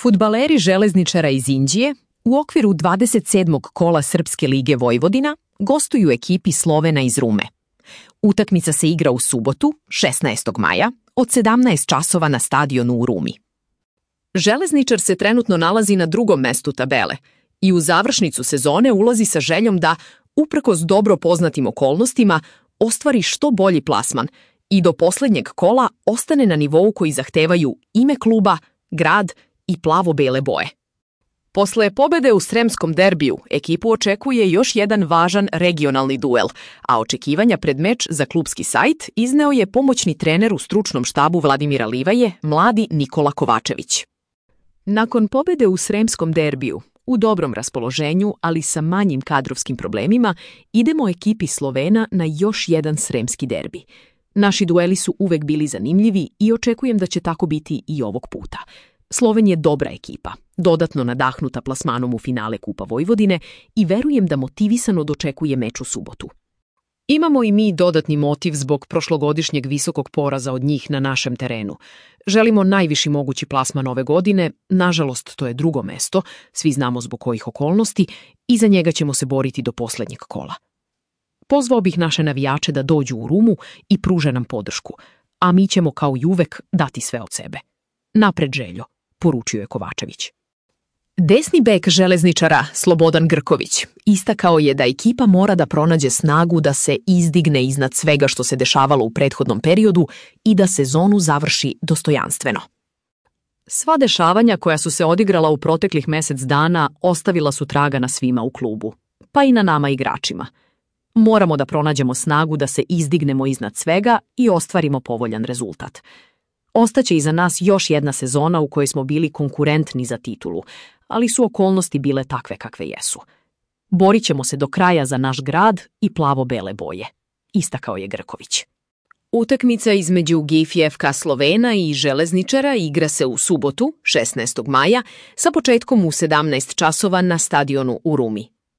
Fudbaleri Železničara iz Inđije u okviru 27. kola Srpske lige Vojvodina gostuju ekipi Slovena iz Rume. Utakmica se igra u subotu, 16. maja, od 17 časova na stadionu u Rumi. Železničar se trenutno nalazi na drugom mestu tabele i u završnicu sezone ulazi sa željom da, uprkos dobro poznatim okolnostima, ostvari što bolji plasman i do poslednjeg kola ostane na nivou koji zahtevaju ime kluba, grad i plavo-bele boje. Posle pobede u Sremskom derbiju, ekipu očekuje još jedan važan regionalni duel, a očekivanja pred meč za klubski sajt izneo je pomoćni trener u stručnom štabu Vladimira Livaje, mladi Nikola Kovačević. Nakon pobede u Sremskom derbiju, u dobrom raspoloženju, ali sa manjim kadrovskim problemima, idemo ekipi Slovena na još jedan sremski derbi. Naši dueli su uvek bili zanimljivi i očekujem da će tako biti i ovog puta. Sloven je dobra ekipa, dodatno nadahnuta plasmanom u finale Kupa Vojvodine i verujem da motivisano dočekuje meč u subotu. Imamo i mi dodatni motiv zbog prošlogodišnjeg visokog poraza od njih na našem terenu. Želimo najviši mogući plasman ove godine, nažalost to je drugo mesto, svi znamo zbog kojih okolnosti, i za njega ćemo se boriti do poslednjeg kola. Pozvao bih naše navijače da dođu u Rumu i pruže nam podršku, a mi ćemo kao i uvek dati sve od sebe. Napred Željo, poručio je Kovačević. Desni bek Železničara, Slobodan Grković, istakao je da ekipa mora da pronađe snagu da se izdigne iznad svega što se dešavalo u prethodnom periodu i da sezonu završi dostojanstveno. Sva dešavanja koja su se odigrala u proteklih mesec dana ostavila su traga na svima u klubu, pa i na nama igračima. Moramo da pronađemo snagu da se izdignemo iznad svega i ostvarimo povoljan rezultat. Ostaće iza nas još jedna sezona u kojoj smo bili konkurentni za titulu, ali su okolnosti bile takve kakve jesu. Borit ćemo se do kraja za naš grad i plavo-bele boje, istakao je Grković. Utakmica između GIF-FK Slovena i Železničara igra se u subotu, 16. maja, sa početkom u 17 časova na stadionu u Rumi.